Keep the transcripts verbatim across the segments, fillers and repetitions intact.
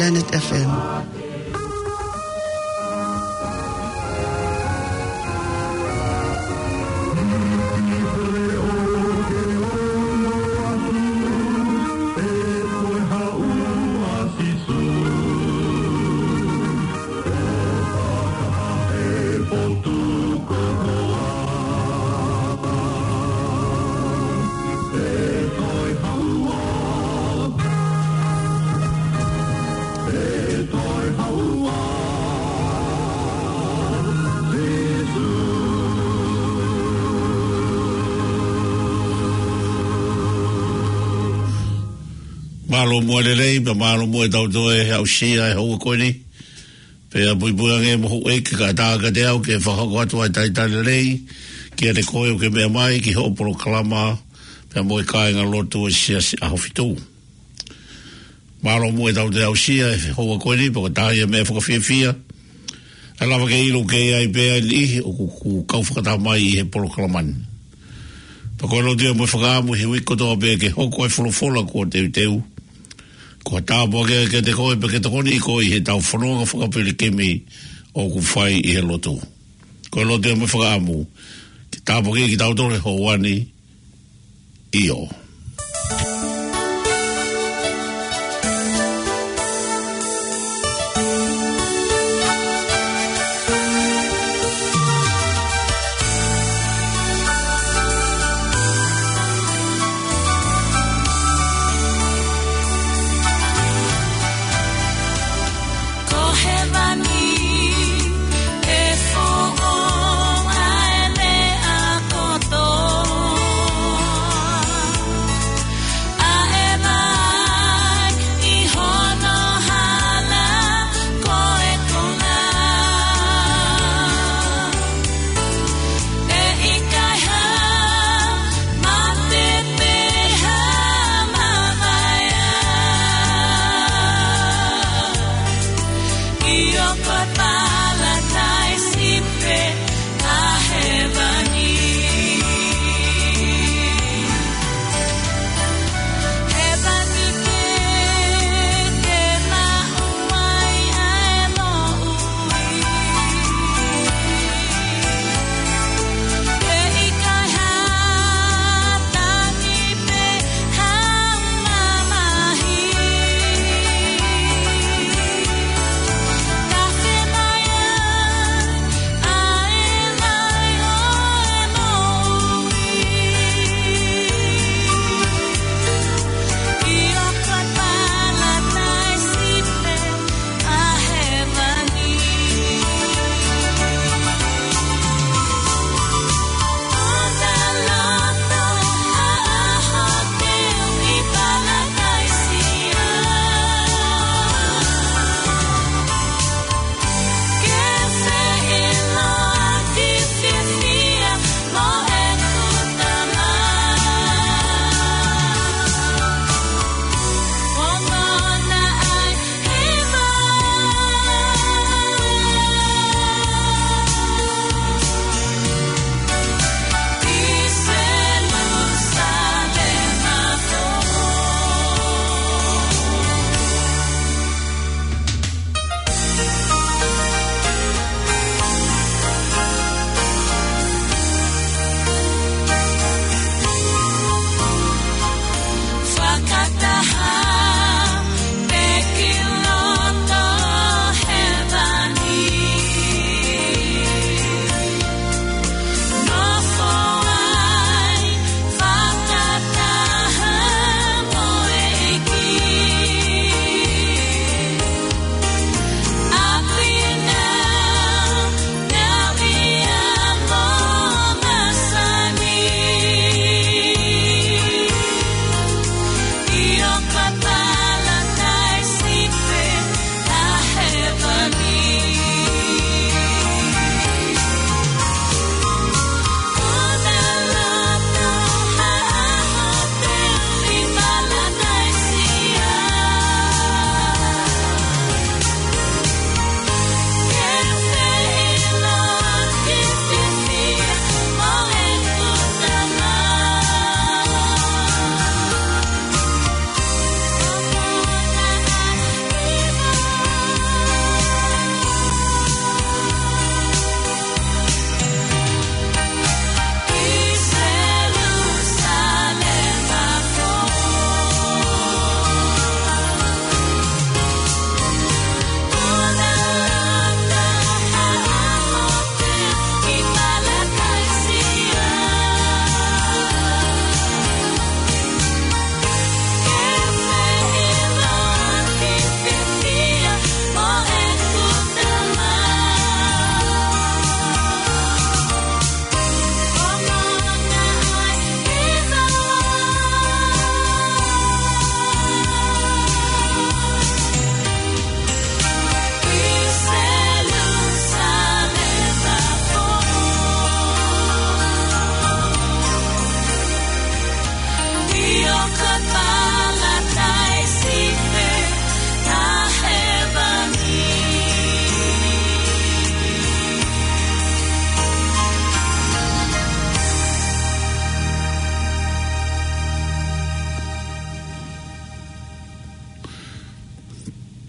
Planet F M. Mālō muʻa e lelei, pea mālō muʻa e tau toe aʻusia e houa ko eni. Pea puipui ange mo houʻeiki kae ʻatā kiate au ke fakahoko atu ʻa e talitali lelei kiate koe ʻoku ke meʻa mai ki hoʻo polokalama, pea mo e kāingalotu ʻo e Siasi ʻAhofitu. Mālō muʻa e tau toe aʻusia e houa ko eni, pea ko e taha ia e meʻa fakafiefia, ʻe lava ke ʻilo ʻoku ʻi ai pē ʻa e niʻihi ʻoku kau fakataha mai ʻi he polokalama ni. Pea ko e lotu ia mo e fakaʻamu he uike kotoa pē ke hoko e folofola kuo teuteu, ko ha tāpuaki ia kiate koe pea ke tokoniʻi koe ʻi he tau fononga fakapilikimi ʻoku fai ʻi he lotu. Ko e lotu ia mo e fakaʻamu ke tāpuakiʻi kitautolu he houa ni. ʻIo. Ko hēvani ʻe foʻou ʻa e meʻa kotoa.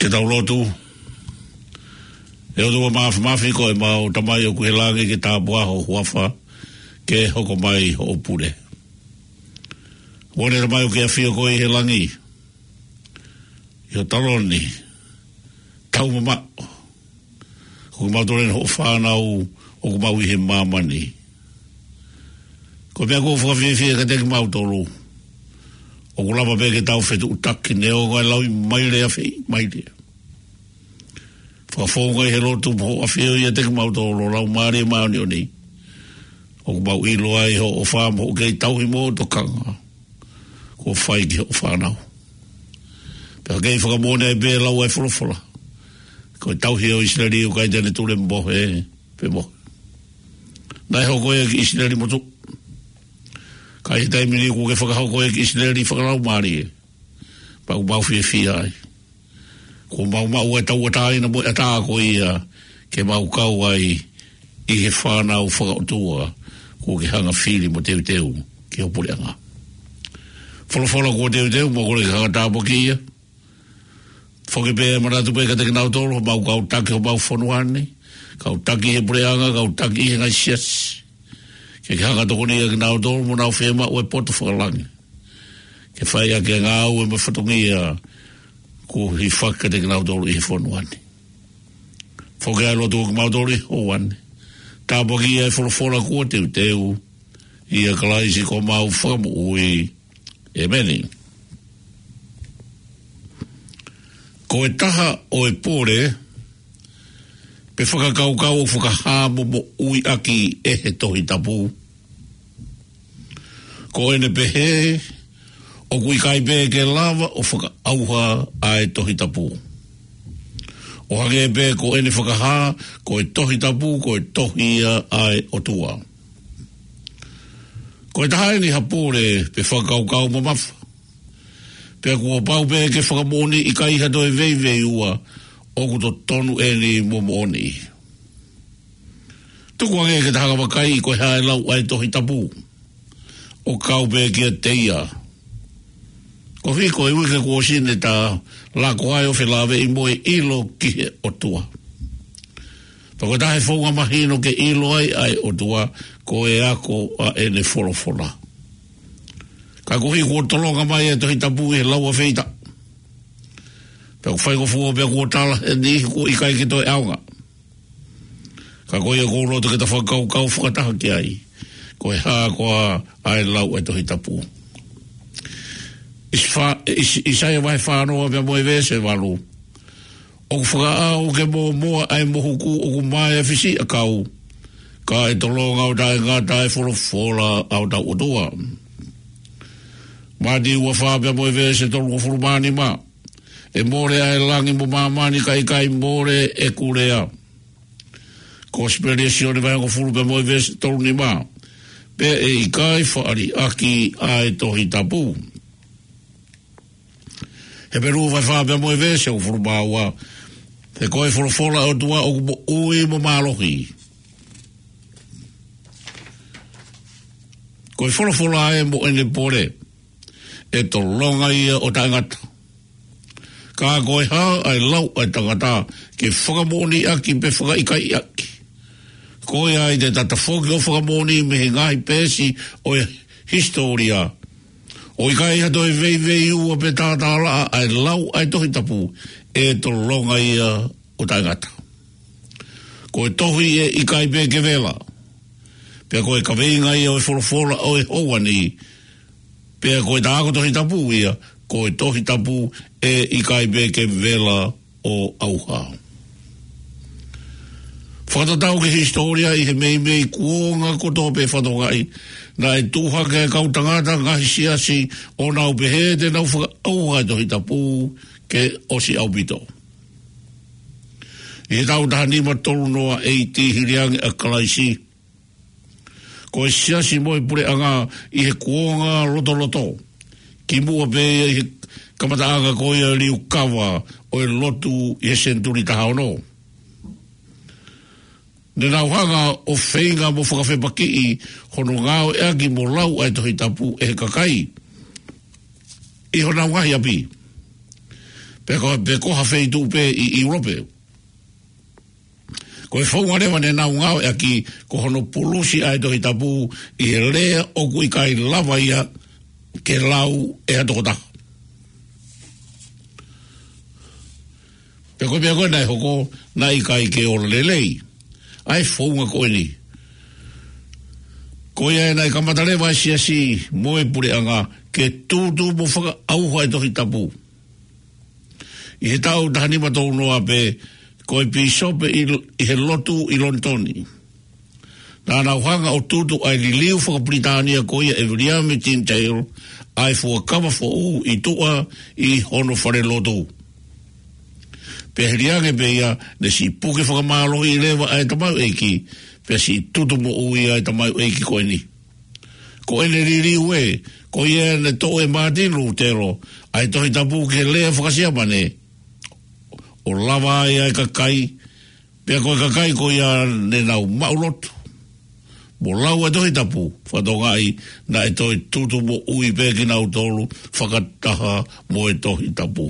Ke tau lotu. ʻE ʻOtua Māfimafi, ko ʻemau Tamai ʻoku ʻi he langi, ke tāpuhā ho huafa, ke hoko mai hoʻo pule. Kuo ne Tamai ʻoku ke ʻafio koe ʻi he langi, ʻi ho taloni taumamaʻo. Ko kimautolu eni hoʻo fānau ʻoku mau ʻi he māmani. Ko e meʻa ʻoku fakafiefia kiate kimautolu, ʻoku lava pē ke tau fetuʻutaki neongo e lau mai lea, fai mai lea. Fakafofonga ʻi he lotu mo hoʻo ʻafio ʻiate kimautolu, Laumālie Māʻoniʻoni. ʻOku mau ʻilo ai hoʻo ʻofa mo hoʻo kei tauhi mo tokanga kuo fai ki hoʻo fānau. Pea kei fakamoʻoni ai pē lau ʻa e folofola, ko e tauhi ʻo ʻIsileli ʻoku ʻikai te ne tule mohe pe mohe. Naʻe hoko ia ki ʻIsileli motuʻa. Ka ʻi he taimi ni kuo ke fakahoko ia ki ʻIsileli fakalaumālie. Pea ʻoku mau fiefia ai. Kuo mau maʻu e tauʻatāina mo e ʻatā ko ia ke mau kau ai ʻi he fānau fakaʻotua kuo ke hanga fili mo teuteu ki ho puleʻanga. Folofola kuo teuteu, mau kole ke hanga tāpuakiʻi ia. Foki pē manatu pē kiate kinautolu, homau kau taki homau fonua ni, kau taki he puleʻanga, kau taki he ngaahi siasi. Ke ke hanga tokonia kinautolu mo nau fiemaʻu e poto fakalangi ke fai ʻaki e ngāue mo e fatongia kuo hifaki kiate kinautolu ʻi he fonua ni. Foki ʻa e lotu ʻo kimautolu ʻi he houa ni. Tāpuakiʻi ʻa e folofola kuo teuteu, ʻia Kalaisi ko homau Fakamoʻui. ʻEmeni. Ko e taha ʻo e pole pe fakakaukau ʻoku fakahā mo moʻui ʻaki ʻe he Tohi Tapu, ko ʻene pehē ʻoku ʻikai pē ke lava ʻo fakaʻauha ʻa e Tohi Tapu. ʻO hangē pē ko ʻene fakahā, ko e Tohi Tapu ko e tohi ia ʻa e ʻOtua. Ko e taha eni ha pole pe fakakaukau mamafa. Pea kuo pau pē ke fakamoʻoni ʻikai ha toe veiveiua, ʻoku totonu eni mo moʻoni. Tuku ange ke ta hanga vakai ko e hā e lau ʻa e Tohi Tapu ʻo kau pē kiate ia. Koeʻuhi ko e uike kuo ʻosi ne ta lako ai ʻo felāveʻi mo e ʻilo ki he ʻOtua. Pea ko e taha e founga mahino ke ʻilo ai ʻa e ʻOtua, ko e ako ʻa ʻene folofola. Ka koeʻuhi kuo tolonga mai e Tohi Tapu ʻi he lau ʻa feita, pea ʻoku faingofua pea kuo tala ʻe he niʻihi kuo ʻikai ke toe ʻaonga. Ka ko ia ʻoku ou loto ke ta fakakaukau fakataha ki ai, ko e hā koā ʻa e lau ʻa e Tohi Tapu. ʻIsi- fa- ʻIsi- ʻIsaia vahe fā noa pea mo e veesi valu. ʻOku fakaʻau ke mōmoa ʻa e mohuku, ʻoku mae ʻa e fisiʻiʻakau, ka ʻe tolonga ʻo taʻengata ʻa e folofola ʻa hotau ʻOtua. Mātiu ua fā pea mo e veesi tolungofulu mā nima. ʻE mole ʻa e langi mo māmani, ka ʻe ʻikai mole ʻeku lea. Kosipeli ʻa Sione vahe hongofulu pea mo e veesi tolu nima. Pea ʻe ʻikai faʻa liʻaki ʻa e Tohi Tapu. Hepelū vahe fā pea mo e veesi hongofulu mā ua. He ko e folofola ʻa e ʻOtua ʻoku moʻui mo mālohi. Ko e folofola ē mo ʻene pole, ʻe tolonga ia ʻo taʻengata. Ka ko e hā ʻa e lau ʻa e tangata ke fakamoʻoni ʻaki pe fakaʻikaiʻi ʻaki? Ko ia ai te ta tafoki ʻo fakamoʻoni mei he ngaahi peesi ʻo e hisitōlia, ʻo ʻikai ha toe veiveiua pe tātālaʻa ʻa e lau ʻa e Tohi Tapu, ʻe tolonga ia ʻo taʻengata. Ko e tohi ʻe ʻikai pē ke vela. Pea ko e kaveinga ia ʻo e folofola ʻo e houa ni. Pea ko e ta ako Tohi Tapu ia, ko e Tohi Tapu ʻe ʻikai pē ke vela ʻo ʻauha. Fakatatau ki he hisitōlia, ʻi he meimei kuonga kotoa pē fatongia, naʻe tuʻu hake e kau tangata, ngaahi siasi, ʻo nau pehē te nau fakaʻauha e Tohi Tapu ke ʻosi ʻaupito. ʻI he taʻu taha nima tolu noa A.D., hili ange ʻa Kalaisi, ko e siasi mo e puleʻanga ʻi he kuonga lotoloto, kimuʻa pē ia ʻi he kamataʻanga ko ia e liukava ʻo e lotu ʻi he senituli taha ono, ne nau hanga ʻo feinga mo fakafepakiʻi hono ngāueʻaki mo lau ʻa e Tohi Tapu ʻe he kakai ʻi honau ngaahi ʻapi. Pe ko, pe ko ha feituʻu pē ʻi ʻIulope. Ko e founga leva ne nau ngāueʻaki ko hono pulusi ʻa e Tohi Tapu ʻi he lea ʻoku ʻikai lava ia ke lau ʻe ha tokotaha. Pe ko e meʻa ko ē naʻe hoko, naʻe ʻikai ke ola lelei ʻa e founga ko eni. Ko ia ē naʻe kamata leva ʻa e siasi mo e puleʻanga ke tutu mo fakaʻauha e Tohi Tapu. ʻI he taʻu taha nima tolu noa pē, ko e pīsope ʻi, ʻi he lotu ʻi Lonitoni, naʻa nau hanga ʻo tutu ʻa e liliu fakapilitānia ko ia ʻe Viliami Tindale ʻa e fuakava foʻou ʻi tuʻa ʻi hono falelotu. Pea hili ange pē ia, ne siʻi puke fakamālohiʻi leva ʻa e tamaioʻeiki, pea siʻi tutu moʻui ʻa e tamaioʻeiki ko eni. Ko ʻene liliu ē, ko ia ne toʻo ʻe Mātini Lūtelo ʻa e Tohi Tapu ki he lea faka-Siamane, ʻo lava ai ʻa e kakai, pea ko e kakai ko ia ne nau maʻulotu mo lau ʻa e Tohi Tapu, fakatokangaʻi naʻe toe tutu moʻui pē kinautolu fakataha mo e Tohi Tapu.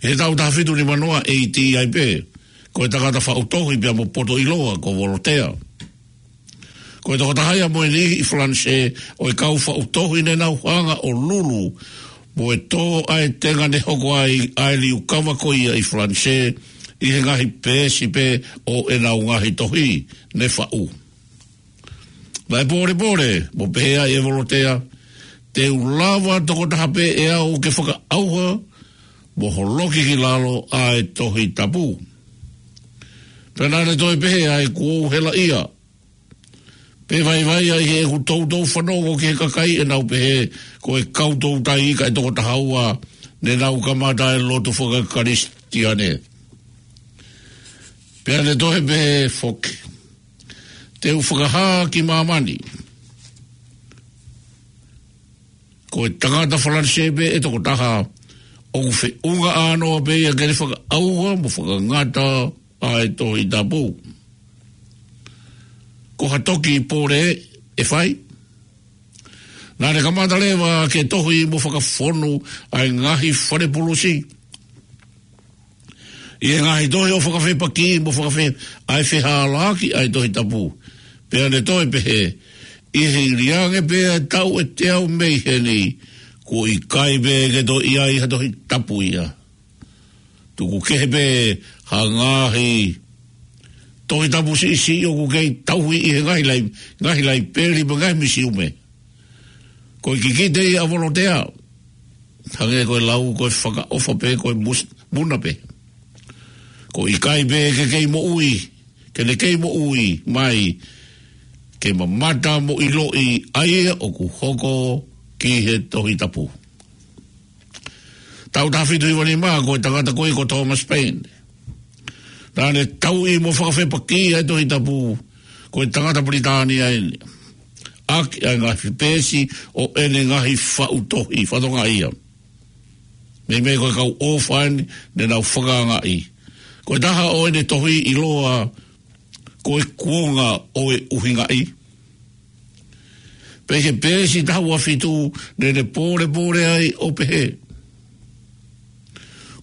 ʻI he taʻu taha fitu nima noa A.D. ai pē, ko e tangata faʻu tohi pea mo poto ʻiloa ko Volotea. Ko e tokotaha ia mo e niʻihi ʻi Falanisē ʻo e kau faʻu tohi ne nau hanga ʻo lulu mo e tō ʻa e tenga ne hoko ai ʻa e liukava ko ia ʻi Falanisē ʻi he ngaahi peesi pē ʻo ʻenau ngaahi tohi ne faʻu. Naʻe pōlepole mo pehē ai ʻe Volotea, te u lava tokotaha pē ʻe au ke fakaʻauha mo holoki ki lalo ʻa e Tohi Tapu. Pea naʻa ne toe pehē ai, kuo u helaʻia. Pea vaivai ai heʻeku toutou fanongo ki he kakai ʻenau pehē ko e kau toutai kae toko taha ua ne nau kamata e lotu faka-Kalisitiane. Pea ne toe pehē foki, te u fakahā ki māmani, ko e tangata Falanisē pē ʻe toko taha ʻoku feʻunga ʻānoa pē ia ke ne fakaʻauha mo fakangata ʻa e Tohi Tapu. Ko ha toki pole ʻe fai. Naʻa ne kamata leva ke tohi mo fakafonu ʻa e ngaahi fale pulusi ʻi he ngaahi tohi ʻo fakafepaki mo fakafe-, ʻa e fehālaaki ʻa e Tohi Tapu. Pea ne toe pehē, ʻi he hili ange pē ʻa e taʻu ʻe teau mei heni, kuo ʻikai pē ke toe ʻi ai ha Tohi Tapu ia. Tuku kehe pē ha ngaahi Tohi Tapu siʻisiʻi ʻoku kei tauhi ʻi he ngaahi lai-, ngaahi laipeli mo e ngaahi misiume. Ko e kikite ia ʻa Volotea, hangē ko e lau ko e fakaʻofa pē ko e mus-, muna pē. Ko e ʻikai pē ke kei moʻui, ke ne kei moʻui mai, ke mamata mo ʻiloʻi ʻa ia ʻoku hoko ki he Tohi Tapu. Taʻu taha fitu hiva nima, ko e tangata ko ia ko Thomas Paine. Naʻa ne tauhi mo fakafepaki ʻa e Tohi Tapu, ko e tangata Pilitānia eni. ʻAki ʻa e ngaahi peesi ʻo ʻene ngaahi faʻu tohi, fakatokangaʻi ia. Meimei ko e kau ʻofa eni ne nau fakaangaʻi. Ko e taha ʻo ʻene tohi ʻiloa ko e Kuonga ʻo e ʻUhingaʻi. Pea ʻi he peesi taha ua fitu, ne ne pōlepole ai ʻo pehē,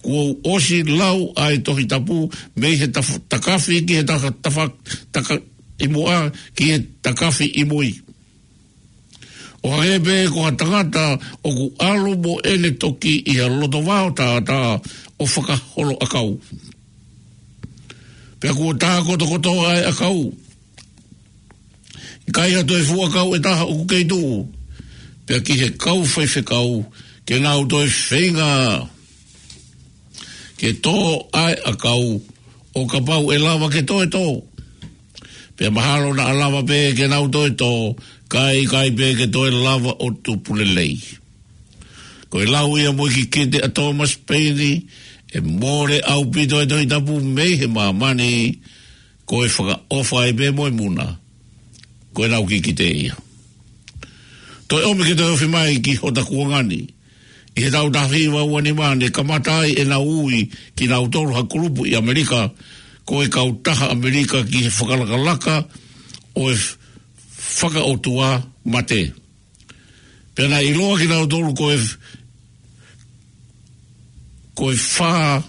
kuo u ʻosi lau ʻa e Tohi Tapu mei he taf-, takafi ki he taka-, tafa-, taka-, ʻi muʻa ki he takafi ʻi mui. ʻO hangē pē ko ha tangata ʻoku ʻalu mo ʻene toki ʻi ha loto vao tātā ʻo fakaholo ʻakau. Pea kuo tā kotokotoa ʻa e ʻakau. ʻIkai ha toe fuʻu ʻakau ʻe taha ʻoku kei tuʻu. Pea ki he kau faifekau, ke nau toe feinga ke tō ʻa e ʻakau, ʻo kapau ʻe lava ke toe tō. Pea mahalo naʻa lava pē ke nau toe tō, kae ʻikai pē ke toe lava ʻo tupu lelei. Ko e lau ia mo e kikite ʻa Thomas Paine, ʻe mole ʻaupito e Tohi Tapu mei he māmani, ko e fakaʻofa ai pē mo e muna. Ko ʻenau kikite ia. Toe ʻomi ke toe ofi mai ki hota kuonga ni. ʻI he taʻu taha hiva ua nima ne kamata ai ʻenau ui kinautolu ha kulupu ʻi ʻAmelika, ko e Kautaha ʻAmelika ki he Fakalakalaka ʻo e Fakaʻotua Mate. Pea naʻe ʻiloa kinautolu ko e f-, Ko e fā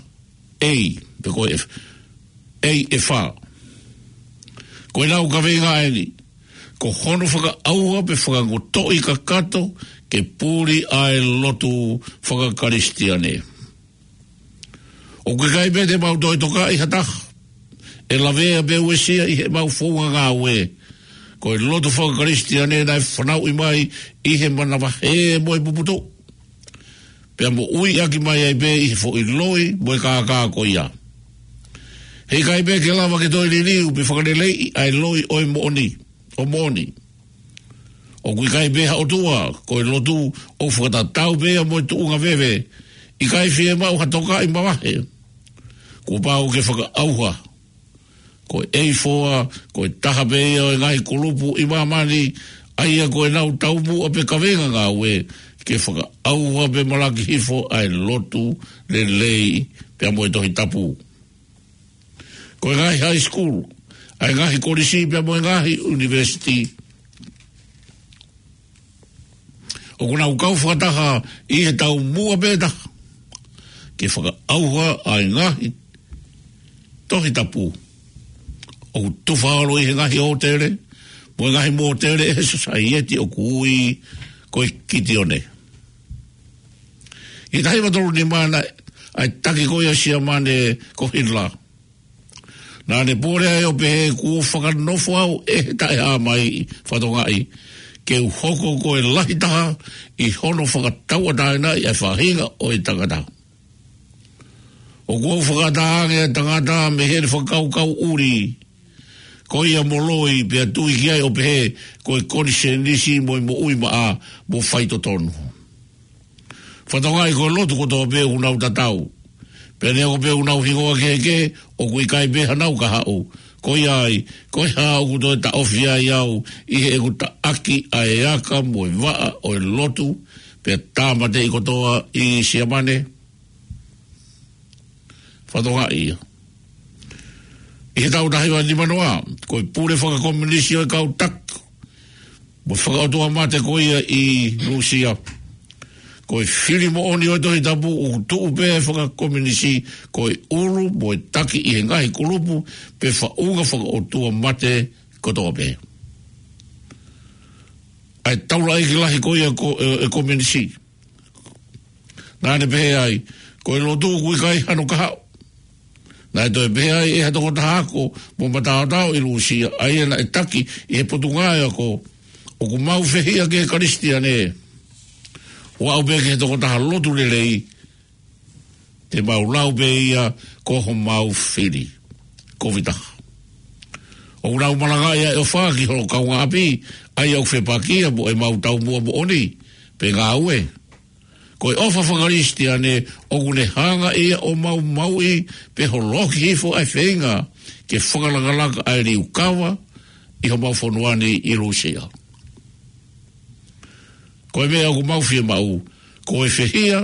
A, pe ko e F, A ʻe fā. Ko ʻenau kaveinga ʻeni, ko hono fakaʻauha pe fakangotoʻi kakato ke puli ʻa e lotu fakakalisitiane. ʻOku ʻikai pē te mau toe tokaʻi ha taha ʻe lavea pe uesia ʻi heʻemau founga ngāue. Ko e lotu fakakalisitiane naʻe fanauʻi mai ʻi he manavahē mo e puputuʻu, pea moʻui ʻaki mai ai pē ʻi he foʻi loi mo e kākā ko ia. He ʻikai pē ke lava ke toe liliu pe fakaleleiʻi ʻa e loi ʻo e moʻoni, ʻo moʻoni. ʻOku ʻikai pē ha ʻotua, ko e lotu ʻoku fakatatau pē ia mo e tuʻunga veve. ʻIkai fiemaʻu ha tokaʻi mavahe. Kuo pau ke fakaʻauha. Ko e A four, ko e taha pē ia ʻo e ngaahi kulupu ʻi māmani, ʻa ia ko ʻenau taumuʻa pe kaveinga ngāue, ke fakaʻauha pe malaki hifo ʻa e lotu lelei pea mo e Tohi Tapu. Ko e ngaahi high school, ʻa e ngaahi kolisi pea mo e ngaahi university, ʻoku nau kau fakataha ʻi he taumuʻa pē taha, ke fakaʻauha ʻa e ngaahi Tohi Tapu ʻoku tufa holo ʻi he ngaahi ʻōtele mo e ngaahi mōtele ʻe he sosaieti ʻoku ui ko e Kitione. ʻI he taha hiva tolu nima naʻe, ʻa e taki ko ia ʻa Siamane ko Hitler, naʻa ne pole ai ʻo pehē, kuo fakanofo au ʻe he taʻehāmai, Fatongaʻi, ke u hoko ko e lahi taha ʻi hono fakatauʻatāinaʻi ʻa e faʻahinga ʻo e tangata. ʻOku ou fakaʻatā ange ʻa e tangata mei heʻene fakakaukau ʻuli ko ia mo loi, pea tui ki ai ʻo pehē ko e konisēnisi mo e moʻui maʻa mo faitotonu. Fatongaʻi, ko e lotu kotoa pē ʻoku nau tatau, pea neongo pē ʻoku nau hingoa kehekehe, ʻoku ʻikai pē hanau kahaʻu. Ko ia ai, ko e hā ʻoku toe taʻofi ai au ʻi heʻeku taʻaki ʻa e aka mo e vaʻa ʻo e lotu, pea tāmateʻi kotoa ʻi Siamane? Fatongaʻi ia. ʻI he taʻu taha hiva nima noa, ko e pule fakakomiunisi ʻo e kau taki mo e fakaʻotuamate ko ia ʻi Lūsia. Ko e fili moʻoni ʻo e Tohi Tapu, ʻoku tuʻu pē ʻa e fakakomiunisi ko e ʻulu mo e taki ʻi he ngaahi kulupu pe faʻunga fakaʻotuamate kotoa pē. ʻA e taulaʻeiki lahi ko ia ko, ʻe, ʻe komiunisi, naʻa ne pehē ai, ko e lotu ʻoku ʻikai hano kahaʻu. Naʻe toe pehē ai ʻe ha tokotaha ako mo mataotao ʻi Lūsia, ʻa ia naʻe taki ʻi he potungāue ako, ʻoku mau fehiʻa ki he Kalisitiane, ʻo aʻu pē ki he tokotaha lotu lelei, te mau lau pē ia ko homau fili. Kovi taha. ʻOku nau malangaʻi ʻa e ʻofa ki holo kaungāʻapi, ʻa ia ʻoku fepakia mo ʻemau taumuʻa moʻoni pe ngāue. Ko e ʻofa fakakalisitiane ʻoku ne hanga ia ʻo maumauʻi pe holoki hifo ʻa e feinga ke fakalakalaka ʻa e liukava ʻi homau fonua ni ʻi Lūsia. Ko e meʻa ʻoku mau fiemaʻu, ko e fehiʻa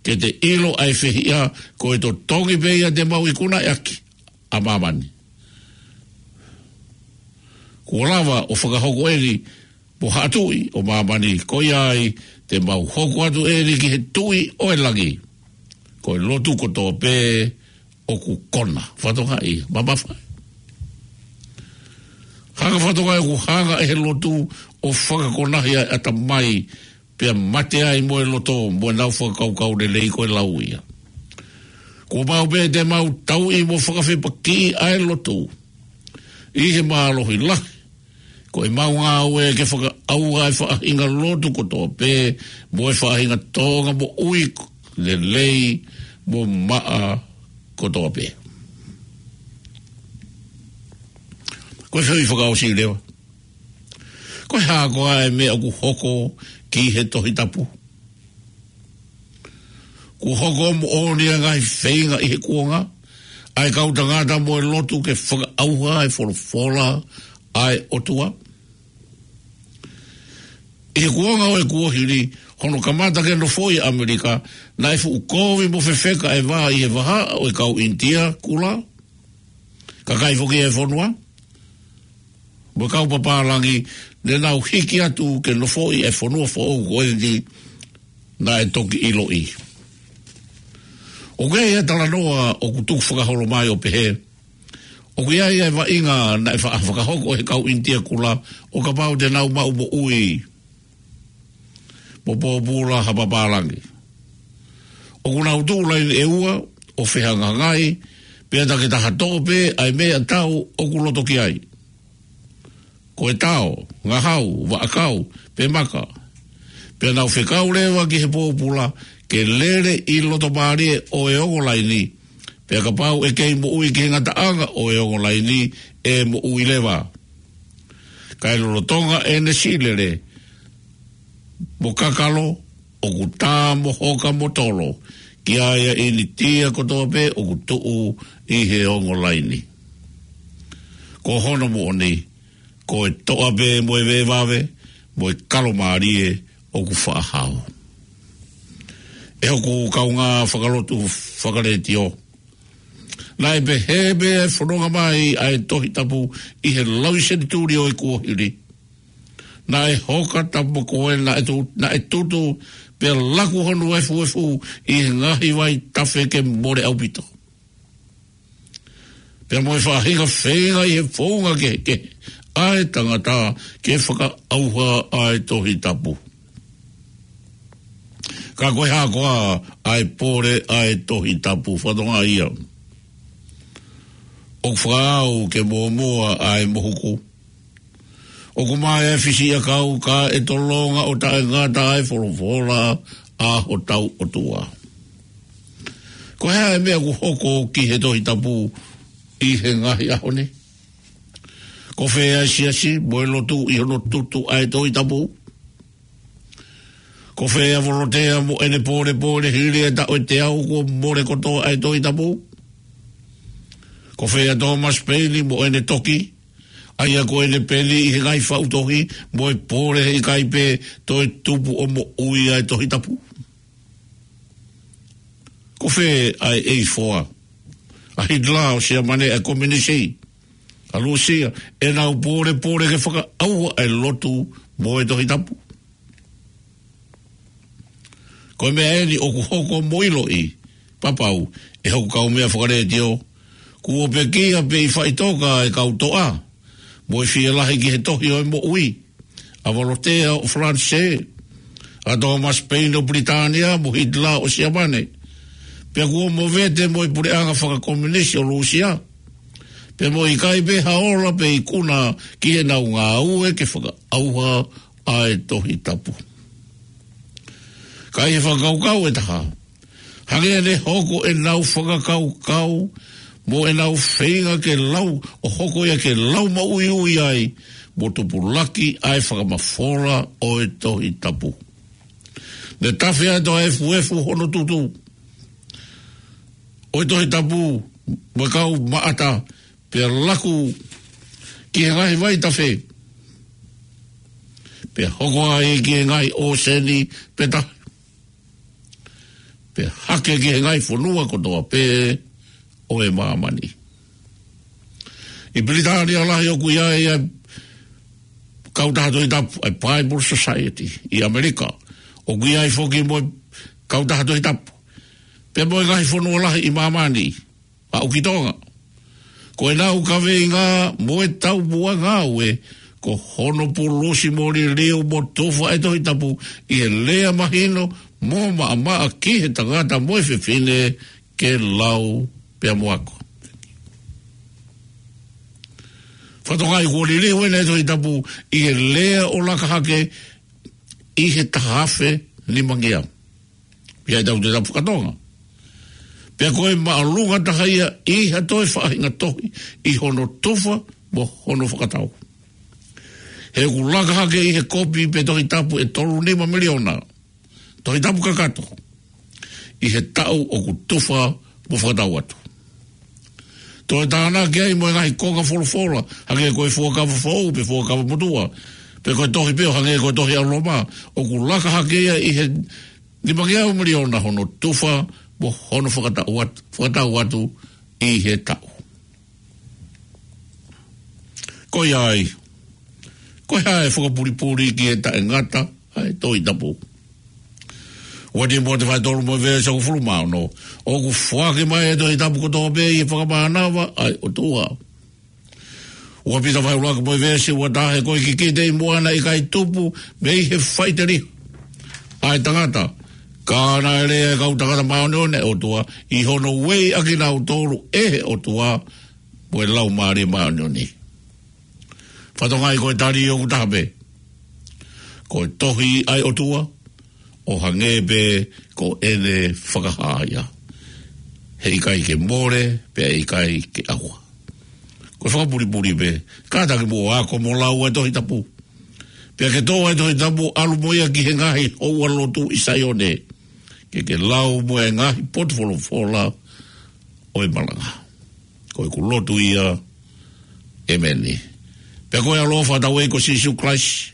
ke te ʻilo ʻa e fehiʻa ko e totongi pē ia te mau ikunaʻi ʻaki ʻa māmani. Kuo lava ʻo fakahoko eni mo haʻa tuʻi ʻo māmani, ko ia ai te mau hoko atu eni ki he Tuʻi ʻo e langi. Ko e lotu kotoa pē ʻoku kona. Fatongaʻi, mamafa. Hanga, Fatongaʻi, ʻoku hanga ʻe he lotu ʻo fakakonahi ʻa e ʻatamai, pea mate ai mo e loto mo ʻenau fakakaukau lelei ko e lau ia. Kuo pau pē te mau tauʻi mo fakafepakiʻi ʻa e lotu ʻi he mālohi lahi. Ko ʻemau ngāue ke fakaʻauha ʻa e faʻahinga lotu kotoa pē mo e faʻahinga tōʻonga moʻui lelei mo maʻa kotoa pē. Ko e fehuʻi fakaʻosi leva. Ko e hā koā ʻa e meʻa ʻoku hoko ki he Tohi Tapu? Kuo hoko moʻoni ʻa e ngaahi feinga ʻi he kuonga ʻa e kau tangata mo e lotu ke fakaʻauha ʻa e folofola ʻa e ʻOtua? ʻI he kuonga ʻo e kuohili, hono kamata ke nofoʻi ʻa ʻAmelika, naʻe fuʻu kovi mo fefeka ʻa e vā ʻi he vahaʻa ʻo e kau ʻInitia Kula, kakai foki ʻo e fonua, mo e kau papālangi, ne nau hiki atu ke nofoʻi ʻa e fonua foʻou ko eni naʻe toki ʻiloʻi. ʻOku ʻi ai e talanoa ʻoku tuku fakaholo mai ʻo pehē, ʻoku ʻi ai e vaʻinga naʻe fa-, fakahoko ʻe he kau ʻInitia Kula ʻo kapau te nau maʻu moʻui mo pōpula ha papālangi. ʻOku nau tuʻu laine ʻe ua ʻo fehangahangai, pea takitaha toʻo pē ʻa e meʻatau ʻoku loto ki ai. Ko e tao, ngahau, vaʻakau, pe maka. Pea nau fekau leva ki he pōpula ke lele ʻi loto mālie ʻo e ongo laini. Pea kapau ʻe kei moʻui ki he ngataʻanga ʻo e ongo laini, ʻe moʻui leva. Kae lolotonga ʻene siʻi lele mo kakalo, ʻoku tā mo hoka mo tolo ki ai ʻa e ʻInitia kotoa pē ʻoku tuʻu ʻi he ongo laini. Ko hono moʻoni, ko e toʻa pē mo e vevave mo e kalo mālie ʻoku faʻa hao. ʻE hoku kaungā fakalotu fakaletiō, naʻe pehē pē ʻa e fononga mai ʻa e Tohi Tapu ʻi he laui senituli ʻo e kuohili. Naʻe hoka tapu ko ē naʻe tu-, naʻe tutu, pea laku hono efuefu ʻi he ngaahi vaitafe ke mole ʻaupito. Pea mo e faʻahinga feinga ʻi he founga kehekehe ʻa e tangata ke fakaʻauha ʻa e Tohi Tapu. Ka ko e hā koā ʻa e pole ʻa e Tohi Tapu? Fatongia ia. ʻOku fakaʻau ke mōmoa ʻa e mohuku. ʻOku mae ʻa e fisiʻiʻakau ka ʻe tolonga ʻo taʻengata ʻa e folofola ʻa hotau ʻOtua. Ko e hā e meʻa ʻoku hoko ki he Tohi Tapu ʻi he ngaahi ʻaho ni? Ko fē ʻa e siasi mo e lotu ʻi hono tutu ʻa e Tohi Tapu? Ko fē ʻa Volotea mo ʻene pōlepole hili e taʻu ʻe teau kuo mole kotoa ʻa e Tohi Tapu? Ko fē ʻa Thomas Paine mo ʻene toki, ʻa ia ko ʻene peni ʻi he ngaahi faʻu tohi mo e pole he ʻikai pē toe tupu ʻo moʻui ʻa e Tohi Tapu? Ko fē ʻa e eighty-four, ʻa Hitler ʻo Siamane, ʻa e Kominisi ʻa Lūsia, ʻenau pōlepole ke fakaʻauha ʻa e lotu mo e Tohi Tapu? Ko e meʻa eni ʻoku hoko mo ʻiloʻi papau ʻe hoku kaumeʻa fakaletiō, kuo pekia pē ʻi faʻitoka e kau toʻa mo e fielahi ki he tohi ʻo e moʻui, ʻa Volotea ʻo Falanisē, ʻa Thomas Paine ʻo Pilitānia mo Hitler ʻo Siamane. Pea kuo movete mo e puleʻanga fakakominisi ʻo Lūsia. Pea mo e ʻikai pē ha ola pe ikuna ki heʻenau ngāue ke fakaʻauha ʻa e Tohi Tapu. Ka ʻi he fakakaukau ʻe taha, hangē ne hoko ʻenau fakakaukau mo ʻenau feinga ke lau, ʻo hoko ia ke lau maʻuiʻui ai mo tupulaki ʻa e fakamafola ʻo e Tohi Tapu. Ne tafe atu ʻa e efuefu hono tutu ʻo e Tohi Tapu mo e kau maʻata, pea laku ki he ngaahi vaitafe, pea hoko ai ki he ngaahi ʻōseni, pea ta-, pea hake ki he ngaahi fonua kotoa pē ʻo e māmani. ʻI Pilitānia Lahi ʻoku ʻi ai ʻa e Kautaha Tohi Tapu, ʻa e Bible Society. ʻI ʻAmelika ʻoku ʻi ai foki mo e Kautaha Tohi Tapu, pea mo e ngaahi fonua lahi ʻi māmani, aʻu ki Tonga. Ko ʻenau kaveinga mo e taumuʻa ngāue, ko hono pulusi mo liliu mo tufa e Tohi Tapu ʻi he lea mahino mo maʻamaʻa ki he tangata mo e fefine ke lau pea mo ako. Fatongia kuo liliu ʻeni e Tohi Tapu ʻi he lea ʻo laka hake ʻi he taha afe nimangeau. ʻI ai ʻetau Tohi Tapu faka-Tonga. Pea ko e māʻolunga taha ia ʻi ha toe faʻahinga tohi ʻi hono tufa mo hono fakatau. He ʻoku laka hake ʻi he kopi pe Tohi Tapu ʻe tolu nima miliona Tohi Tapu kakato ʻi he taʻu ʻoku tufa mo fakatau atu. Toe tānaki ai mo e ngaahi konga folofola, hangē ko e Fuakava Foʻou pe Fuakava Motuʻa, pe ko e tohi pē ʻo hangē ko e Tohi ʻa Loma, ʻoku laka hake ia ʻi he nimangeau miliona hono tufa mo hono fakatau atu, fakatau atu ʻi he taʻu. Ko ia ai, ko e hā e fakapulipuli ki he taʻengata ʻa e Tohi Tapu? Ua Tīmote vahe tolu mo e veesi hongofulu mā ono, ʻoku foaki mai ʻe he Tohi Tapu kotoa pē ʻi he fakamānava ʻa e ʻOtua. Ua Pita vahe ʻuluaki mo e veesi ua taha, ko e kikite ʻi muʻa naʻe ʻikai tupu mei he faʻiteliha ʻa e tangata, ka naʻe lea ʻa e kau tangata māʻoniʻoni ʻa e ʻOtua, ʻi hono ueʻi ʻakinautolu ʻe he ʻOtua mo e Laumālie Māʻoniʻoni. Fakatokangaʻi ko e tali ʻoku taha pē. Ko e tohi ʻa e ʻOtua, ʻo hangē pē ko ʻene fakahā ia. Heʻikai ke mole, pea ʻikai ke ʻauha. Ko e fakapulipuli pē, kātaki muʻa ʻo ako mo lau ʻa e Tohi Tapu. Pea ke toʻo ʻa e Tohi Tapu, ʻalu mo ia ki he ngaahi houa lotu ʻi Saione. Ke ke lau mo e ngaahi potu folofola ʻo e malanga. Ko ʻeku lotu ia, ʻēmeni. Pea ko e ʻaloʻofa ʻa hotau ʻEiki ko Sīsū Kalaisi,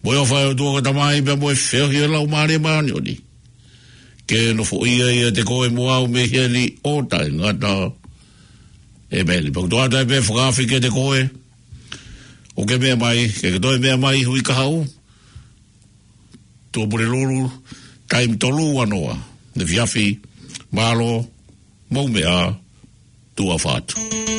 mo e ʻofa ʻa e ʻOtua ko e Tamai, pea mo e feohi ʻa e Laumālie Māʻoniʻoni, ke nofoʻia ʻiate koe mo au mei heni ʻo taʻengata. ʻĒmeni. Pea ʻoku ou ʻoatu pē e fakaafe kiate koe, ʻoku ke meʻa mai, ke ke toe meʻa mai hui kahaʻu, Tuʻapulelulu, taimi tolu ua noa ʻo e efiafi. Mālō, mou meʻa, tuʻa ʻofa atu.